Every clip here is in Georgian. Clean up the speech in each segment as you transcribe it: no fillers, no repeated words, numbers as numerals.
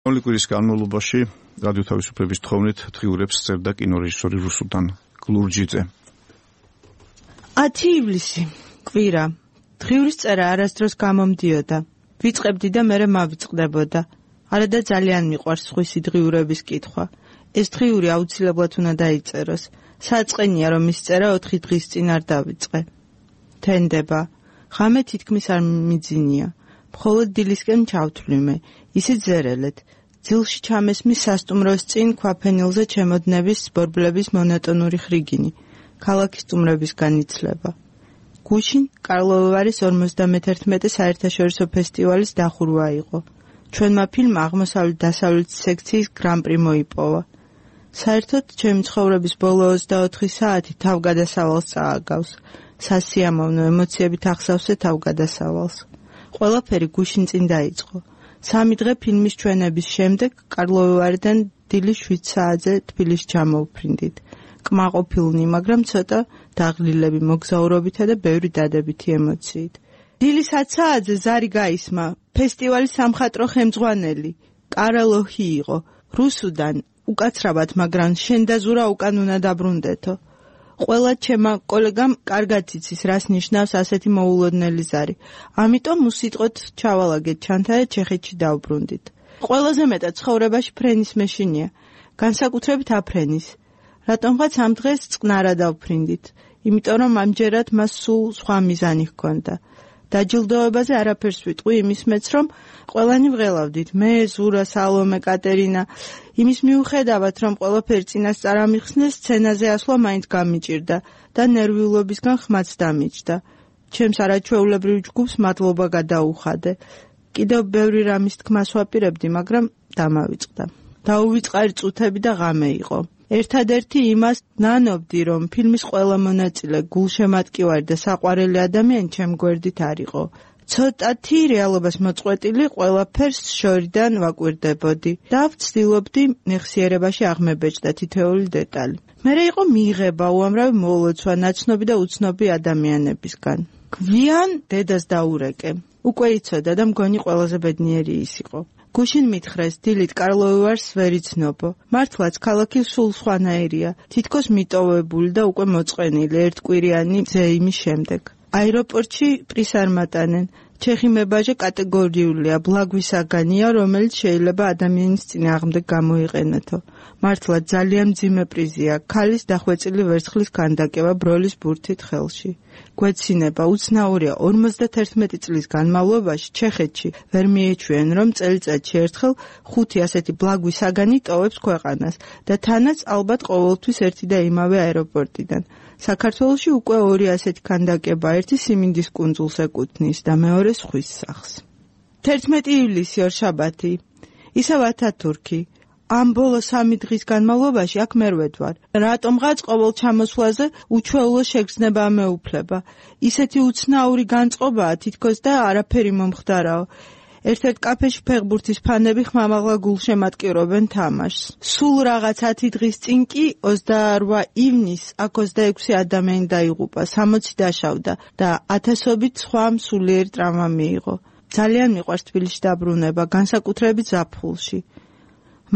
კვირის განმავლობაში რადიო თავისუფლების თხოვნით დღიურებს წერდა კინორეჟისორი რუსუდან გლურჯიძე. 10 ივლისი კვირა. დღიურის წერა არასდროს გამომდიოდა. ვიწყებდი და მერე მავიწყდებოდა. არადა ძალიან მიყვარს სხვისი დღიურების კითხვა. ეს დღიური აუცილებლად უნდა დაიწეროს. საწყენია რომ ის წერა 4 დღის წინ არ დავიწყე. თენდება. ღამე თითქმის არ მიძინია. მხოლოდ დილისკენ ჩავთვლიმე. ისე ზერელეთ. ძილში ჩამესმის სასტუმროს წინ ქვაფენილზე ჩემოდნების ბორბლების მონოტონური ხრიგინი. ქალაქის სტუმრებისგან იცლება. გუშინ კარლოვარის 51 საერთაშორისო ფესტივალის დახურვა იყო. ჩვენმა ფილმმა აღმოსავლეთ-დასავლეთ სექციის გრან-პრი მოიპოვა. საერთოდ ჩემი ცხოვრების ბოლო 24 საათი თავგადასავალს წააგავს. სასიამოვნო ემოციებით ახსავსე თავგადასავალს. ყველაფერი გუშინ წინ დაიწყო. 3 დღე ფილმის ჩვენების შემდეგ კარლოვარიდან დილის 7 საათზე თბილისში ჩამოვფრინდით. კმაყოფილნი, მაგრამ ცოტა დაღლილები მოგზაურობითა და ბევრი დადებითი ემოციით. დილის 10 საათზე ზარი გაისმა. ფესტივალის სამხატვრო ხელმძღვანელი კარალოჰი იყო. რუსუდან უკაცრავად, მაგრამ შენ და ზურა უკან უნდა დაბრუნდეთო. ყველა ჩემმა კოლეგამ კარგად იცის, რას ნიშნავს ასეთი მოულოდნელი ზარი. ამიტომ უსიტყვოდ ჩავალაგეთ ჩანთა და ჩეხეთში დავბრუნდით. ყველაზე მეტად ცხოვრებაში ფრენის მეშინია, განსაკუთრებით აფრენის. რატომღაც ამ დღეს წყნარა დავფრინდით, იმიტომ რომ ამჯერად მას სულ სხვა მიზანი ჰქონდა. დაჯილდოებაზე არაფერს ვიტყვი იმის მეც, რომ ყველანი ვღელავდით, მე, ზურა, სალომე, კატერინა. იმის მიუხედავად, რომ ყველაფერი წინასწარ ამიხსნეს, სცენაზე ასვლა მაინც გამიჭირდა და ნერვიულობისგან ხმაც დამიჯდა. ჩემს არაჩვეულებრივ ჯგუფს მადლობა გადაუხადე. კიდევ ბევრი რამის თქმას ვაპირებდი, მაგრამ დამავიწყდა. დაუვიწყარი წუთები და ღამე იყო. ერთადერთი იმას ნანობდი, რომ ფილმის ყველა მონაწილე, გულშემატკივარი და საყვარელი ადამიანი ჩემ გვერდით არ იყო. ცოტათი რეალობას მოწყვეტილი ყველაფერს შორიდან ვაკვირდებოდი და ვცდილობდი მეხსიერებაში აღმებეჭდა თითოეული დეტალი. მერე იყო მიიღება უამრავი მოლოცვა ნაცნობი და უცნობი ადამიანებისგან. გვიან დედას დაურეკე. უკვე იცოდა და მგონი ყველაზე ბედნიერი ის იყო. გუშინ მითხრეს, დილით კარლოვარს ვერ იცნობო. მართლაც ქალაქი სულ სხვანაირია, თითქოს მიტოვებული და უკვე მოწყენილი ერთკვირიანი ზეიმის შემდეგ. აეროპორტში პრის არ მატანენ. ჩეხი მებაჟე კატეგორიულია, ბლაგვისაგანია, რომელიც შეიძლება ადამიანის წინააღმდეგ გამოიყენეთო. მართლა ძალიან მძიმე პრიზია, ქალის დახვეწილი ვერცხლის ქანდაკება ბროლის ბურთით ხელში. გვეცინება, უცნაურია, 51 წლის განმავლობაში ჩეხეთში ვერ მიეჩვიან, რომ წელიწადში ერთხელ 5 ასეთი ბლაგვისაგანი ტოვებს ქვეყანას და თანაც ალბათ ყოველთვის ერთი და იმავე აეროპორტიდან. საქართველოში უკვე 2 ასეთი ქანდაკება, ერთი სიმინდის კუნძულს ეკუთვნის და მეორე ზღვის სახლს. 11 ივლისი ორშაბათი. ისევ ათათურქი. ამ ბოლო 3 დღის განმავლობაში აქ მერვედ ვარ. რატომღაც ყოველ ჩამოსვლაზე უჩვეულო შეგრძნება მეუფლება. ისეთი უცნაური განწყობაა თითქოს და არაფერი მომხდარაო. ერთ-ერთ კაფეში ფეხბურთის ფანები ხმამაღლა გულშემატკივრობენ თამაშს. სულ რაღაც 10 დღის წინ კი 28 ივნისს აქ 26 ადამიანი დაიღუპა, 60 დაშავდა და ათასობით სხვა სულიერი ტრავმა მიიღო. ძალიან მიყვარს თბილისში დაბრუნება, განსაკუთრებით ზაფხულში.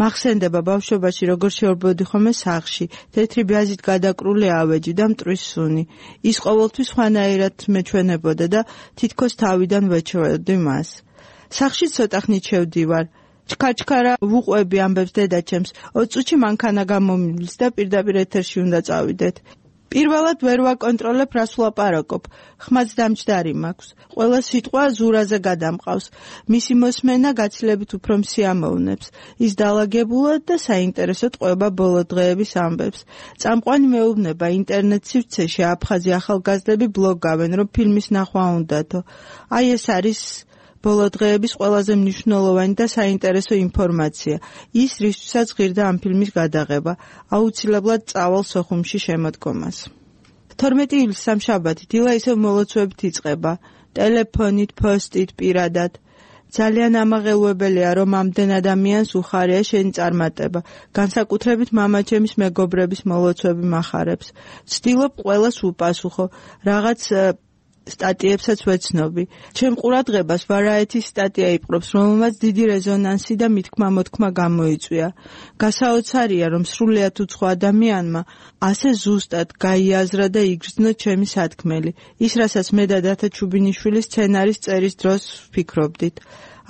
მახსენდება ბავშვობაში როგორ შევრბოდი ხოლმე სახლში, თეთრი ბიაზით გადაკრული ავეჯი და მტრის სუნი. ის ყოველთვის სხვანაირად მეჩვენებოდა და თითქოს თავიდან ვეჩვევდი მას. სახლში ცოტა ხნით შევდივარ. ჩქარჩქარა ვუყვები ამბებს დედაჩემს. 20 წუთში მანქანა გამომივლის და პირდაპირ ეთერში უნდა წავიდეთ. პირველად ვერ ვაკონტროლებ, რას ვლაპარაკობ. ხმაც დამჯდარი მაქვს. ყველა სიტყვა ზურაზე გადამყავს. მისი მოსმენა გაცილებით უფრო მსიამოვნებს. ის დალაგებულად და საინტერესოდ ყვება ბოლო დღეების ამბებს. წამყვანი მეუბნება ინტერნეტ სივრცეში აფხაზი ახალგაზრდები ბლოგავენ, რომ ფილმის ნახვა უნდათო. აი ეს არის ბოლო დღეების ყველაზე მნიშვნელოვანი და საინტერესო ინფორმაცია. ის რისთვისაც ღირდა ამ ფილმის გადაღება, აუცილებლად წავალ სოხუმში შემოდგომას. 12 ივლისს სამშაბათი დილა ისევ მოლოცვებით იწყება, ტელეფონით, პოსტით, პირადად. ძალიან ამაღელვებელია, რომ ამდენ ადამიანს უხარია შენი წარმატება, განსაკუთრებით მამაჩემის მეგობრების მოლოცვები მახარებს. ვცდილობ ყველას უპასუხო, რაღაც სტატიებსაც ვეცნობი. ჩემ ყურადღებას Variety-ის სტატია იპყრობს, რომელმაც დიდი რეზონანსი და მithქმა-მოთქმა გამოიწვია. გასაოცარია, რომ სრულიად უცხო ადამიანმა ასე ზუსტად გაიაზრა და იგრძნო ჩემი სათქმელი. ის, რასაც მე და დათო ჩუბინიშვილის სცენარის წერის დროს ვფიქრობდით.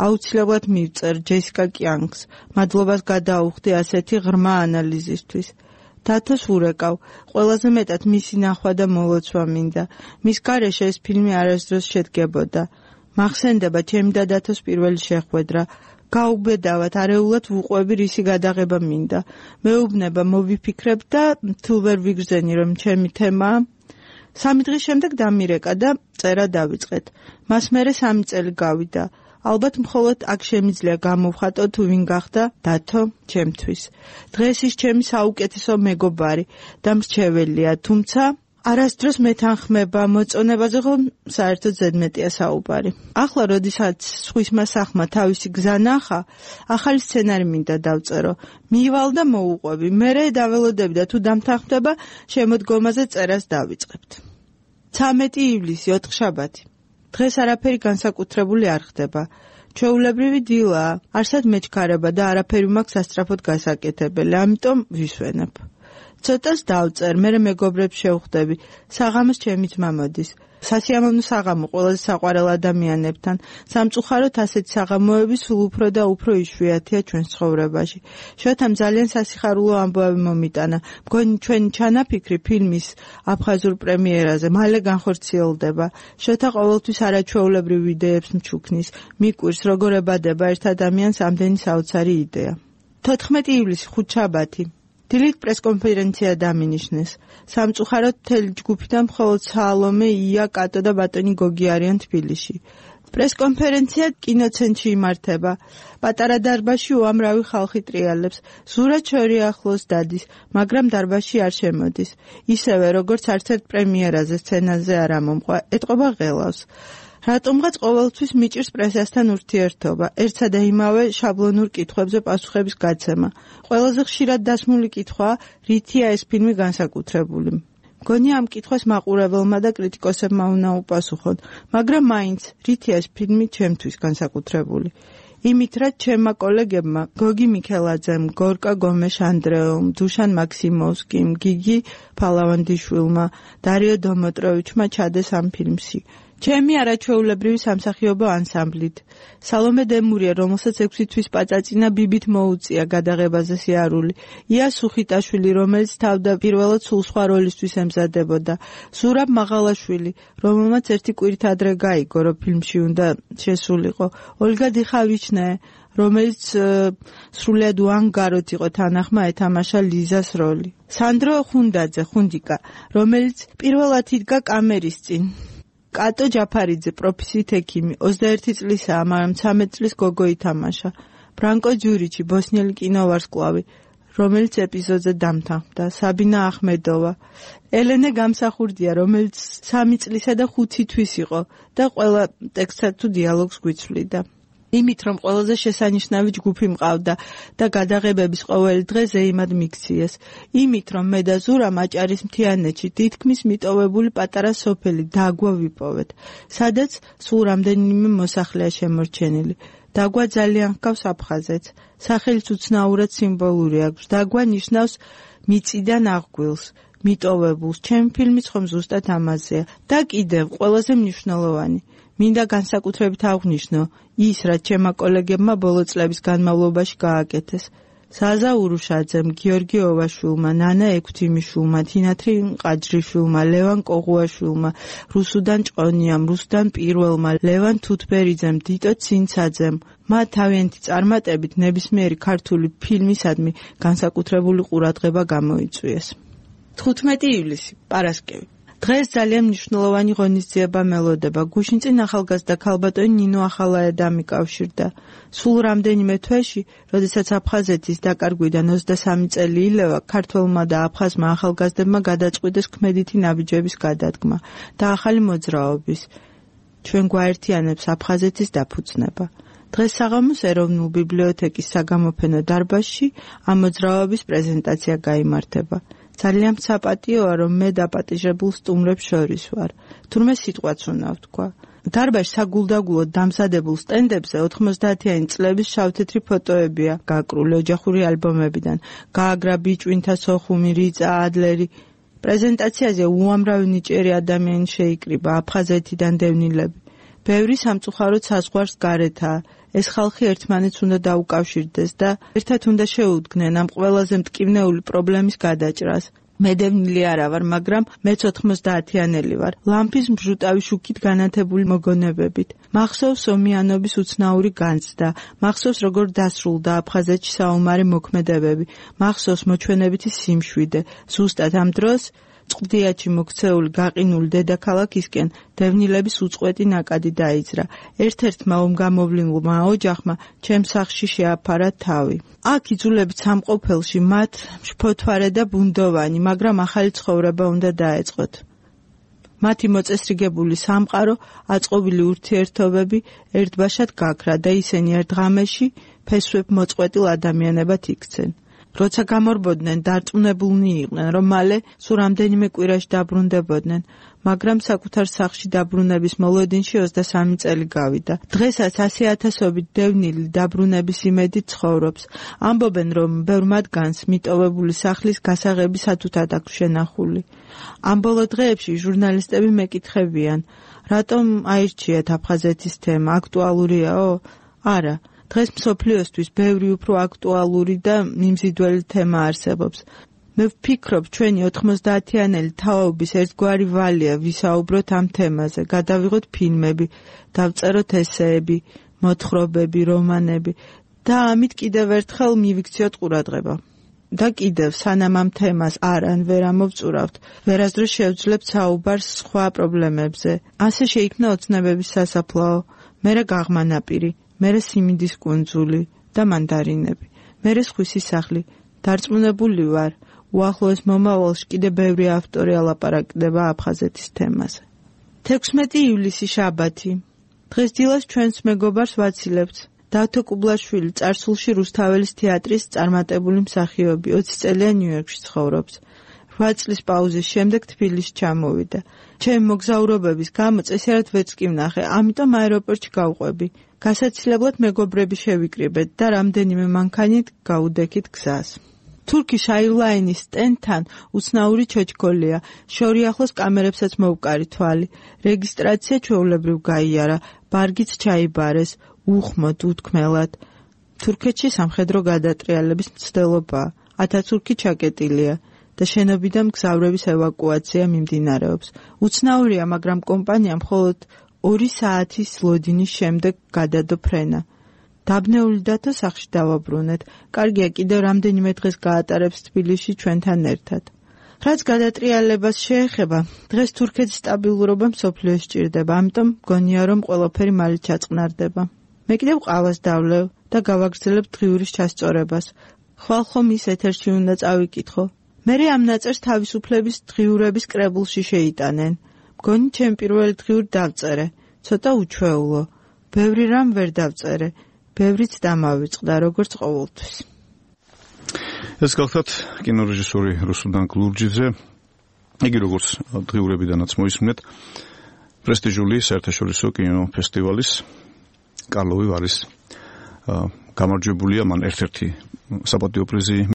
აუცილებლად მივწერ ჯესიკა კიანგს. მადლობას გადაუხდი ასეთი ღრმა ანალიზისთვის. დათოს ურეკავ, ყველაზე მეტად მისი ნახვა და მოლოცვა მინდა. მის გარეშე ეს ფილმი არასდროს შედგებოდა. მახსენდება ჩემი და დათოს პირველი შეხვედრა. გაუბედავად, არეულად ვუყვები, რისი გადაღება მინდა. მეუბნება მოვიფიქრებ და თუ ვერ ვიგრძენი, რომ ჩემი თემაა. 3 დღის შემდეგ დამირეკა და წერა დავიწყეთ. მას მერე 3 წელი გავიდა. ალბათ მხოლოდ აქ შემიძლია გამოვხატო თუ ვინ გახდა დათო ჩემთვის. დღეს ის ჩემი საუკეთესო მეგობარი და მრჩეველია, თუმცა არასდროს მეთანხმება მოწონებაზე, რომ საერთოდ ზედმეტია საუბარი. ახლა, როდესაც სხვისმა სახმა თავისი გზა ნახა, ახალი სცენარი მინდა დავწერო. მივალ და მოუყვები, მერე დაველოდები და თუ დამთანხმდება, შემოდგომაზე წერას დავიწყებთ. 13 ივლისი, 4 შაბათი. დღეს არაფერი განსაკუთრებული არ ხდება. ჩვეულებრივი დილაა, არსად მეჩქარება და არაფერი მაქვს სასწრაფოდ გასაკეთებელი, ამიტომ ვისვენებ. ცოტას დავწერ, მერე მეგობრებს შევხვდები. საღამოს ჩემი ძმა მოდის. სასიამოვნო საღამო ყველაზე საყვარელ ადამიანებთან. სამწუხაროდ ასეთი საღამოები სულ უფრო და უფრო იშვიათია ჩვენს ცხოვრებაში. შოთამ ძალიან სასიხარულო ამბავი მომიტანა. მგონი ჩვენი ჩანაფიქრი ფილმის აფხაზურ პრემიერაზე მალე განხორციელდება. შოთა ყოველთვის არაჩვეულებრივ იდეებს მჩუქნის. მიკვირს როგორ ებადება ერთ ადამიანს ამდენი საოცარი იდეა. 14 ივლისი, 5 შაბათი. დილით პრესკონფერენცია დამინიშნეს. სამწუხაროდ მთელი ჯგუფიდან მხოლოდ სალომე, ია, კატო და ბატონი გოგი არიან თბილისში. პრესკონფერენცია კინოცენტრში იმართება. პატარა დარბაზში უამრავი ხალხი ტრიალებს. ზურა ჩორი ახლოს დადის, მაგრამ დარბაზში არ შემოდის. ისევე როგორც არც ერთ პრემიერაზე სცენაზე არ ამომყვა, ეტყობა ღელავს. რატომღაც ყოველთვის მიჭირს პრესასთან ურთიერთობა, ერთსა და იმავე შაბლონურ კითხვებზე პასუხების გაცემა. ყველაზე ხშირად დასმული კითხვაა, რითია ეს ფილმი განსაკუთრებული. მგონი ამ კითხვას მაყურებელმა და კრიტიკოსებმა უნდა უპასუხონ, მაგრამ მაინც რითია ეს ფილმი ჩემთვის განსაკუთრებული. იმით, რაც ჩემმა კოლეგებმა, გოგი მიქელაძემ, გორკა გომეშ ანდრეომ, დუშან მაქსიმოვსკიმ, გიგი ფალავანდიშვილმა, დარიო დომოტროვიჩმა ჩადეს ამ ფილმში. ჩემი არაჩვეულებრივი სამსახიობო ანსამბლით. სალომე დემურია, რომელსაც 6 თვის პაწაწინა ბიბით მოუწია გადაღებაზე სიარული. ია სუხიტაშვილი, რომელიც თავდაპირველად სულ სხვა როლისთვის ემზადებოდა. ზურაბ მაღალაშვილი, რომელმაც ერთი კვირით ადრე გაიგო, რომ ფილმში უნდა შესულიყო. ოლგა დიხავიჩნე, რომელიც სრულიად უანგაროდ იყო თანახმა ეთამაშა ლიზას როლი. სანდრო ხუნდაძე, ხუნდიკა, რომელიც პირველად იდგა კამერის წინ. კატო ჯაფარიძე, პროფესიით ექიმი, 21 წლისაა, მაგრამ 13 წლის გოგო ითამაშა. ბრანკო ჯურიჩი, ბოსნიელი კინოვარსკვლავი, რომელიც ეპიზოდზე დამთანხმდა. საბინა ახმედოვა, ელენე გამსახურდია, რომელიც 3 წლისა და 5 თვის იყო და ყველა ტექსტსა თუ დიალოგს გვიცვლიდა. იმით, რომ ყველაზე შესანიშნავი ჯგუფი მყავდა და გადაღებების ყოველი დღე ზეიმად მიქციეს. იმით, რომ მე და ზურა მაჭარის მთიანეთში თითქმის მიტოვებული პატარა სოფელი დაგვა ვიპოვეთ, სადაც სულ რამდენიმე მოსახლეა შემორჩენილი. დაგვა ძალიან ჰგავს აფხაზეთს. სახელიც უცნაურად სიმბოლური აქვს. დაგვა ნიშნავს მიწიდან აღგვილს, მიტოვებულს. ჩემი ფილმიც ხომ ზუსტად ამაზეა. და კიდევ ყველაზე მნიშვნელოვანი, მინდა განსაკუთრებით აღვნიშნო ის, რაც ჩემმა კოლეგებმა ბოლო წლების განმავლობაში გააკეთეს. ზაზა ურუშაძემ, გიორგი ოვაშვილმა, ნანა ექვთიმიშვილმა, თინათრი ყაჯრიშვილმა, ლევან კოღუაშვილმა, რუსუდან ჭყონიამ, რუსდან პირველმა, ლევან თუთბერიძემ, დიტო ცინცაძემ. მათ თავიანთი წარმატებით ნებისმიერი ქართული ფილმისადმი განსაკუთრებული ყურადღება გამოიწვიეს. 15 ივლისი, პარასკევი. დღეს ძალიან მნიშვნელოვანი ღონისძიება მელოდება. გუშინწინ ახალგაზრდა ქალბატონი ნინო ახალაია დამიკავშირდა. სულ რამდენიმე თვეში, როდესაც აფხაზეთის დაკარგვიდან 23 წელი ილევა, ქართველმა და აფხაზმა ახალგაზრდებმა გადაწყვიტეს ქმედითი ნაბიჯების გადადგმა და ახალი მოძრაობის. ჩვენ გვაერთიანებს აფხაზეთის დაფუძნება. დღეს საღამოს ეროვნულ ბიბლიოთეკის საგამოფენო დარბაზში ამ მოძრაობის პრეზენტაცია გაიმართება. ძალიან საპატიოა, რომ მე დაპატიჟებულ სტუმრებს შორის ვარ. თურმე სიტყვაც უნდა ვთქვა. დარბაზში საგულდაგულოდ დამზადებულ სტენდებზე 90-იანი წლების შავ-თეთრი ფოტოებია გაკრული ოჯახური ალბომებიდან. გააგრა ბიჭვინთა სოხუმი, რიწა, ადლერი. პრეზენტაციაზე უამრავი ნიჭიერი ადამიანი შეიკრიბა, აფხაზეთიდან დევნილები. ბევრი სამწუხაროდ საზღვარს გარეთაა. ეს ხალხი ერთმანეთს უნდა დაუკავშირდეს და ერთად უნდა შეუდგნენ ამ ყველაზე მტკივნეული პრობლემის გადაჭრას. მე დევნილი არა ვარ, მაგრამ მეც 90-იანელი ვარ. ლამპის მჟუტავი შუქით განათებული მოგონებებით. მახსოვს ომიანობის უცნაური განცდა. მახსოვს როგორ დასრულდა აფხაზეთში საომარი მოქმედებები. მახსოვს მოჩვენებითი სიმშვიდე. ზუსტად ამ დროს წყდიაჩი მოქცეული გაყინული დედაქალაქისკენ დევნილების უწყვეტი ნაკადი დაიძრა. ერთ-ერთმა ომგამოვლილმა ოჯახმა ჩემს სახლში შეაფარა თავი. აქ იძულებით სამყოფელში მათ შფოთვარე და ბუნდოვანი, მაგრამ ახალი ცხოვრება უნდა დაეწყოთ. მათი მოწესრიგებული სამყარო, აწყობილი ურთიერთობები ერთბაშად გაქრა და ისინი ერთ ღამეში ფესვებ მოწყვეტილ ადამიანებად იქცენ. როცა გამორბოდნენ, დარწმუნებულნი იყვნენ, რომ მალე სულ რამდენიმე კვირაში დაბრუნდებოდნენ, მაგრამ საკუთარ სახლში დაბრუნების მოლოდინში 23 წელი გავიდა. დღესაც 100,000-ობით დევნილი დაბრუნების იმედით ცხოვრობს. ამბობენ, რომ ბევრ მათგანს მიტოვებული სახლის გასაღები სათუთად აქვს შენახული. ამ ბოლო დღეებში ჟურნალისტები მეკითხებიან, რატომ აირჩიეთ აფხაზეთის თემა, აქტუალურიაო? არა. დღეს მსოფლიოსთვის ბევრი უფრო აქტუალური და მიმზიდველი თემა არსებობს. მე ვფიქრობ, ჩვენი 90-იანელი თაობის ერთგვარი ვალია ვისაუბროთ ამ თემაზე, გადავიღოთ ფილმები, დავწეროთ ესეები, მოთხრობები, რომანები და ამით კიდევ ერთხელ მივიქციოთ ყურადღება. და კიდევ, სანამ ამ თემას არ ან ვერ ამოვწურავთ, ვერასდროს შევძლებთ საუბარს სხვა პრობლემებზე. ასე შეიქმნა ოცნებების სასაფლაო, მერე გაღმანაპირი, მერე სიმინდის კუნძული და მანდარინები, მერე სხვისი სახლი. დარწმუნებული ვარ, უახლოეს მომავალში კიდე ბევრი ავტორი ალაპარაკდება აფხაზეთის თემაზე. 16 ივლისი შაბათი. დღეს დილას ჩვენს მეგობარს ვაცილებთ. დავთო კუბლაშვილი წარსულში რუსთაველის თეატრის წარმატებული მსახიობი, 20 წელია ნიუ-იორკში ცხოვრობს. 8 წლის პაუზის შემდეგ თბილისში ჩამოვიდა. ჩემი მოგზაურობების გამო წესიარად ვერც კი ვნახე, ამიტომ აეროპორტში გავყვები. გასაცილებლად მეგობრები შევიკრიბეთ და რამდენიმე მანქანით გაუდექით გზას. Turkish Airlines სტენდთან უცნაური ჩოჩქოლია. შორი ახლოს კამერებსაც მოვკარი თვალი. რეგისტრაცია ჩვეულებრივ გაიარა, ბარგიც ჩაიბარეს, უხმოდ, უთქმელად. თურქეთში სამხედრო გადატრიალების მცდელობაა. ათათურქი ჩაკეტილია და შენობიდან მგზავრების ევაკუაცია მიმდინარეობს. უცნაურია, მაგრამ კომპანიამ მხოლოდ 2 საათის ლოდინის შემდეგ გადადო ფრენა. დაბნეული დათო სახლში დავაბრუნეთ. კარგია, კიდევ რამდენიმე დღეს გაატარებს თბილისში ჩვენთან ერთად. რაც გადატრიალებას შეეხება, დღეს თურქეთის სტაბილურობა მსოფლიოს სჭირდება, ამიტომ მგონია, რომ ყველაფერი მალე ჩაწყნარდება. მე კიდევ ყავას დავლევ და გავაგრძელებ დღიურის ჩასწორებას. ხვალ-ხომ ის ეთერში უნდა წავიკითხო. მერე ამ ნაწერს თავისუფლების დღიურების კრებულში შეიტანენ. მგონი ჩემ პირველი დღიური დავწერე, ცოტა უჩვეულო. ბევრი რამ ვერ დავწერე, ბევრიც დამავიწყდა, როგორც ყოველთვის. ეს გახლავთ კინორეჟისორი რუსუდან გლურჯიძე. იგი როგორც დღიურებიდანაც მოისმინეთ, პრესტიჟული საერთაშორისო კინოფესტივალის კარლოვი ვარის გამარჯვებულია, მან ერთ-ერთი საპატიო პრიზი